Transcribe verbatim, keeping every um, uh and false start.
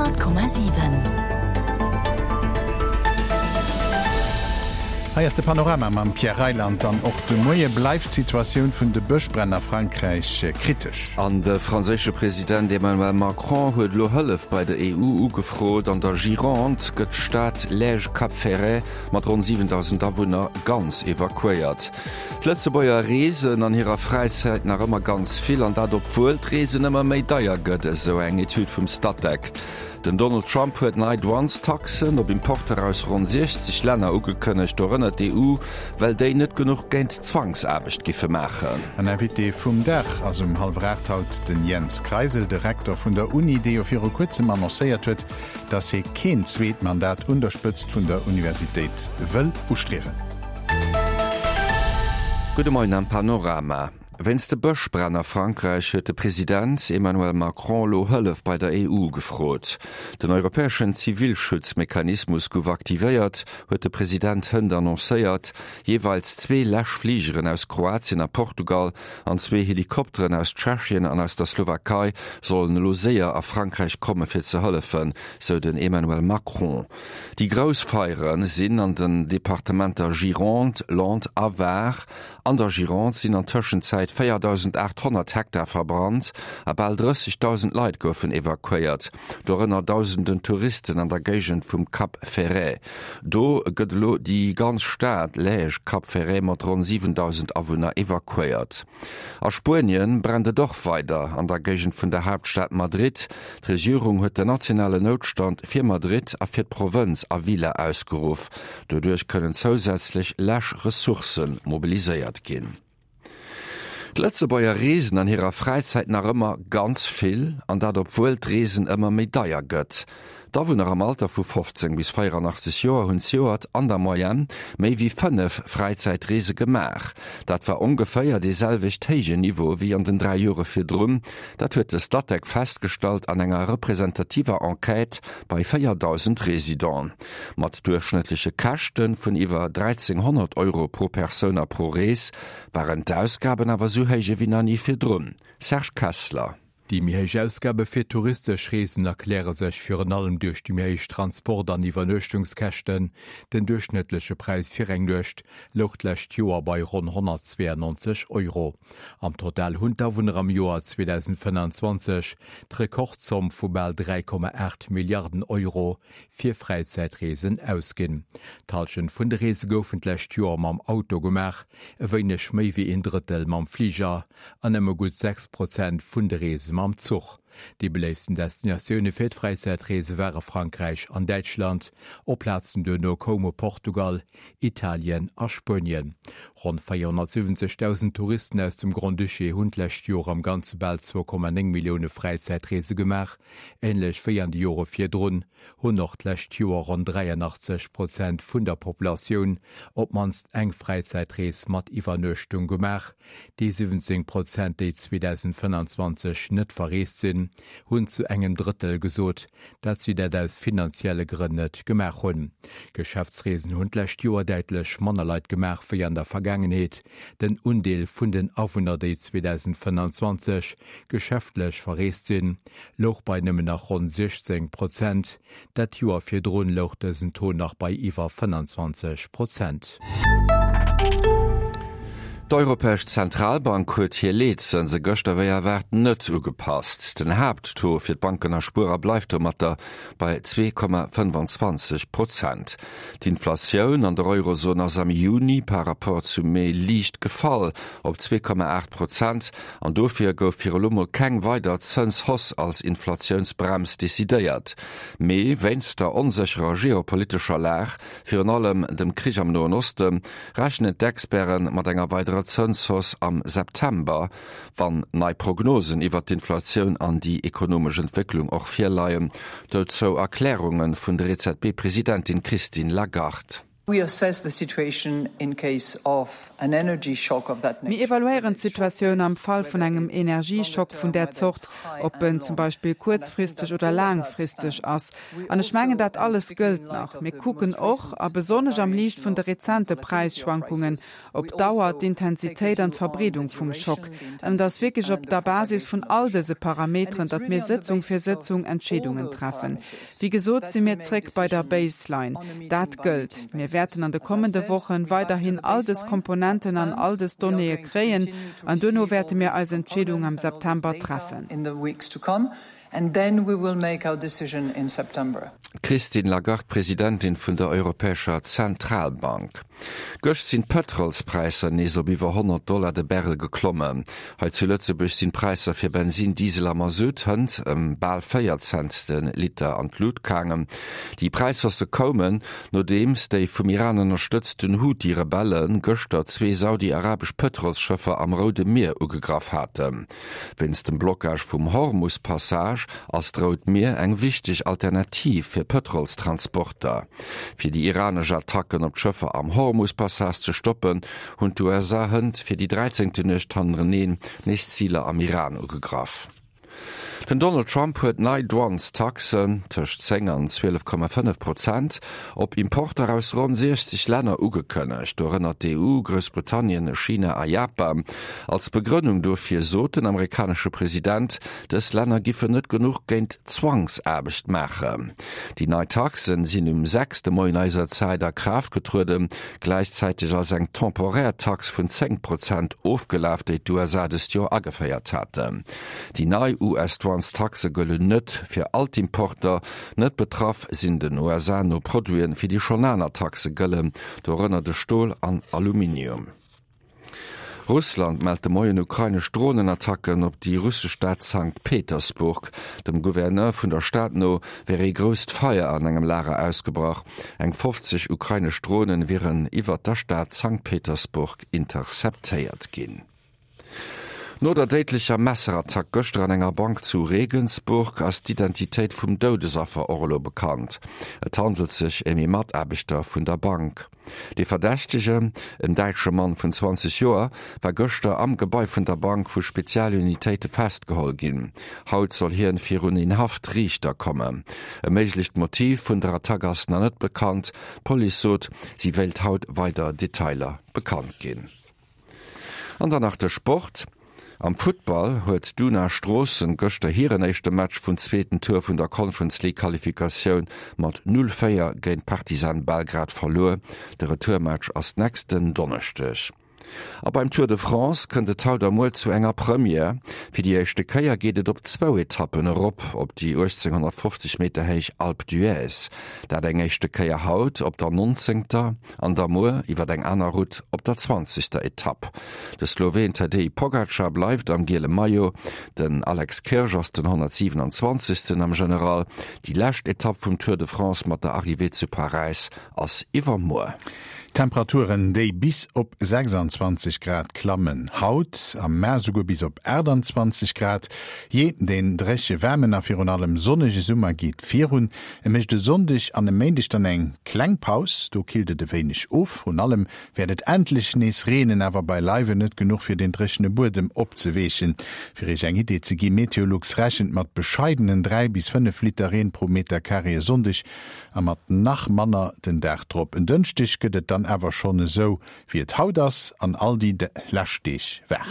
Honnert Komma siwen. Hei ass de Panorama mam Pierre Reyland. An och de Moie bleift d'Situatioun vun de Bëschbränn a Frankräich kritesch. An de franséische President Emmanuel Macron huet elo Hëllef bei der E U ugefrot. An der Gironde gëtt d'Stad Lège-Cap-Ferret mat ronn siwendausend Awunner ganz evakuéiert. D'Lëtzebuerger reesen an hirer Fräizäit nach ëmmer ganz vill, an dat obwuel d'Reesen ëmmer méi deier gëtt, esou eng Etüd vum Statec. Den Donald Trump huet nei Douanestaxen op Importer aus ronn siechzeg Länner ugekënnegt, dorënner d'E U, well déi net genuch géint Zwangsaarbecht giffe maachen. An Invité vum Dag ass um hallwer aacht haut den Jens Kreisel, de Rektor vun der Uni, dee jo viru kuerzem annoncéiert huet, datt hie keen zweet Mandat un der Spëtzt vun der Universitéit wëll ustriewen. Gudde Moien am Panorama. Wéinst de Bëschbränn a Frankräich huet de President Emmanuel Macron elo Hëllef bei der E U gefrot. Den europäeschen Zivilschutzmechanismus gouf aktivéiert, huet de President hënt annoncéiert. Jeeweils zwee Läschfligeren aus Kroatien a Portugal an zwee Helikopteren aus Tschechien an aus der Slowakei sollen elo séier a Frankräich komme fir ze hëllefen, sou den Emmanuel Macron. Déi grouss Feiere sinn an den Departementer Gironde, Landes a Var. An der Gironde sinn an Tëschenzäit véierdausendaathonnert Hektar verbrannt a bal drëssegdausend Leit goufen evakuéiert, dorënner dausenden Touristen an der Géigend vum Cap Ferret. Do gëtt elo déi ganz Stad Lège-Cap-Ferret mat ronn siwendausend Awunner evakuéiert. A Spuenien brennt et och weider an der Géigend vun der Haaptstad Madrid. D'Regierung huet den nationalen Noutstand fir Madrid a fir d'Provënz Avila ausgeruff. Doduerch kënnen zousätzlech Läschressourcë mobiliséiert ginn. D'Lëtzebuerger reesen an hirer Fräizäit nach ëmmer ganz vill, an dat obwuel d'Reesen ëmmer méi deier gëtt. D'Awunner am Alter vu fofzéng bis véieranaachtzeg Joer hunn zejoert an der Moyenne méi wéi fënnef Fräizäitreese gemaach. Dat war ongeféier dee selwecht héijen Niveau wéi an den dräi Jore virdrun. Dat huet de Statec festgestallt an enger representativer Enquête bei véierdausend Residenten. Mat duerchschnëttleche Käschte vun iwwer dräizénghonnert Euro pro Persoun a pro Rees waren d'Ausgaben awer sou héich ewéi nach ni virdrun. Serge Kessler. Déi méi héich Ausgabe fir touristesch Reesen erkläre sech virun allem duerch déi méi héich Transport an Iwwernuechtungskäschten. Den duerchschnëttleche Präis fir eng Nuecht louch d'lescht Joer bei ronn honnertzweeanonzeg Euro. Am Total hunn d'Awunner am Joer zweedausendfënnanzwanzeg d'Rekordzomm vu bal dräi Komma aacht Milliarden Euro fir Fräizäitreesen ausginn. D'Hallschent vun de Reese goufen d'lescht Joer mam Auto gemaach, e wéineg méi wéi een Drëttel mam Fliger an nëmme gutt sechs Prozent vun de Reese mam Zuch. Déi beléiftsten Destinatioune fir d'Fräizäitreese ware Frankräich an Däitschland. Op Plazen duerno koume Portugal, Italien a Spuenien. Ronn véierhonnertsiwwenzegdausend Touristen aus dem Grand-Duché hunn d'lescht Joer am Ganze bal zwou Komma néng Millioune Fräizäitreese gemaach. Änlech wéi an de Jore virdrun hunn och d'lescht Joer ronn dräianachtzeg Prozent vun der Populatioun op d'mannst eng Fräizäitrees mat Iwwernuechtung gemaach. Déi siwwenzéng Prozent, déi zweedausendfënnanzwanzeg net verreest sinn, hunn zu engem Drëttel gesot, dat si dat aus finanzielle Grënn net gemaach hunn. Geschäftsreesen hunn d'lescht Joer däitlech manner Leit gemaach wéi an der Vergaangenheet. Den Undeel vun den Awunner, déi zweedausendfënnanzwanzeg geschäftlech verreest sinn, louch bei nëmmen nach ronn siechzéng Prozent. Dat Joer virdrun louch dësen Taux nach bei iwwer fënnanzwanzeg Prozent. D'Europäesch Zentralbank huet hir Leetzënse gëschter wéi erwaart net ugepasst. Den Haapttaux fir d'Banken a Spuerer bleift domatter bei zwee Komma fënnfanzwanzeg Prozent. D'Inflatioun an der Eurozon ass am Juni par Rapport zum Mee liicht gefall op zwee Komma aacht Prozent an dofir gouf fir elo mol keng weider Zënshausse als Inflatiounsbrems decidéiert. Mee wéinst der onsécherer geopolitescher Lag, virun allem dem Krich am Noen Osten, rechnen d'Experte mat enger weiderer Zënshausse am September, wann nei Prognosen iwwert d'Inflatioun an déi ekonomesch Entwécklung och virleien. Dozou Erklärunge vun der E Z B-Presidentin Christine Lagarde. We assess the situation in case of Mir evaluéieren d'Situatioun am Fall vun engem Energieschock vun där Zort, ob en zum Beispill kuerzfristeg oder laangfristeg ass. An ech mengen, dat alles gëllt nach. Mir kucken och, a besonnesch am Liicht vun de rezente Präisschwankungen, op d'Dauer, d'Intensitéit an d'Verbreedung vum Schock. An et ass wierklech op der Basis vun all dëse Parameteren, datt mir Sëtzung fir Sëtzung Entscheedungen treffen. Wéi gesot si mir zréck bei der Baseline. Dat gëllt. Mir wäerten an de kommende Wochen weiderhin all dës Komponenten an all dës Donnéeë kréien an duerno wäerte mir eis Entscheedung am September treffen. D'Christine Lagarde, Presidentin vun der Europäescher Zentralbank. Gëscht sinn d'Pëtrolspräisser nees op iwwer honnert Dollar de Barrel geklommen. Hei zu Lëtzebuerg sinn d'Präisser fir Bensin, Diesel a Masutt hënt ëm bal véier Cent de Liter an d'Lut gaangen. Déi Präishaussë koumen, nodeems déi vum Iran ënnerstëtzten Huthi-Rebelle gëschter zwee saudi-arabesch Pëtrolsschëffer am Roude Mier ugegraff haten. Wéinst dem Blockage vum Hormus-Passage ass d'Rout Mier eng wichteg Alternativ fir Pëtrolstransporter. Fir déi iranesch Attacken op d'Schëffer am Hormus-Passage ze stoppen, hunn d'USA hënt fir déi dräizéngte Nuecht hannereneen nees Ziler am Iran ugegraff. Den Donald Trump huet nei Douanestaxen, tëscht zéng an zwielef Komma fënnef Prozent, op Importer aus ronn siechzeg Länner ugekënnegt, dorënner d'EU, Groussbritannien, China a Japan. Als Begrënnung dofir sot den amerikanesche President, dës Länner giffen net genuch géint Zwangsaarbecht maachen. Déi nei Taxen sinn um sechs de Moien eiser Zäit a Kraaft getrueden. Gläichzäiteg ass eng temporär Tax vun zéng Prozent ofgelaf, déi d'USA dëst Joer ageféiert haten. Déi nei US-Douanestaxe gëllen net fir all d'Importer. Net betraff sinn den USA no Produiten, fir déi schonn aner Taxe gëllen, dorënner de Stol an Aluminium. Russland mellt de Moien ukrainesch Dronenattacken op déi russesch Stad Sankt Petersburg. Dem Gouverneur vun der Stad no wär ee grousst Feier an engem Lager ausgebrach. Eng fofzeg ukrainesch Dronen wieren iwwert der Stad Sankt Petersburg interceptéiert ginn. No der déidlecher Messerattack gëschter an enger Bank zu Regensburg ass d'Identitéit vum Doudesaffer och elo bekannt. Et handelt sech ëm ee Mataarbechter vun der Bank. De Verdächtegen, en däitsche Mann vun zwanzeg Joer, war gëschter am Gebai vun der Bank vu Spezialunitéite festgeholl ginn. Haut soll hien virun een Haftriichter kommen. E méiglecht Motiv vun der Attack ass nach net bekannt. D'Police sot, si wéilt haut weider Detailer bekannt ginn. An dann nach de Sport. Am Futtball huet d'Una Stroossen gëschter hiren éischte Match vum zweeten Tour vun der Conference League Qualifikatioun mat null véier géint Partizan Belgrad verluer. De Retourmatch ass nächsten Donneschdeg. A beim Tour de France kënnt et haut a muer zu enger Première. Fir déi éischte Kéier geet et op zwou Etappen erop op déi uechtzénghonnertfofzeg Meter héich Alpe d'Huez. Dat eng éischte Kéier haut op der nonzéngter an da muer iwwer eng aner Route op der zwanzegster Etapp. De Sloween Tadej Pogacar bleift am giele Maillot, den Alex Kirsch ass den honnertsiwenanzwanzegsten am General. Déi lescht Etapp vum Tour de France mat der Arrivée zu Paräis ass iwwermuer. Temperaturen, déi bis op sechsandzwanzeg Grad klammen haut, am Mä souguer bis op aachtandzwanzeg Grad. Jee, deen dréche waarmen a virun allem sonnege Summer geet virun. E mécht e Sonndeg an e Méindeg dann eng kleng Paus, do killt et e wéineg of. Vrun allem wäert et endlech nees reenen, awer beileiwen net genuch fir den dréchene Buedem opzeweechen. Fir Iech eng Idee ze ginn, Meteolux rechent mat bescheidenen dräi bis fënnef Liter Reen pro Metercarré e Sonndeg a mat nach manner den Dag drop. En Dënschdeg gëtt et dann awer schonn esou wéi et haut ass an all déi lescht Deeg war.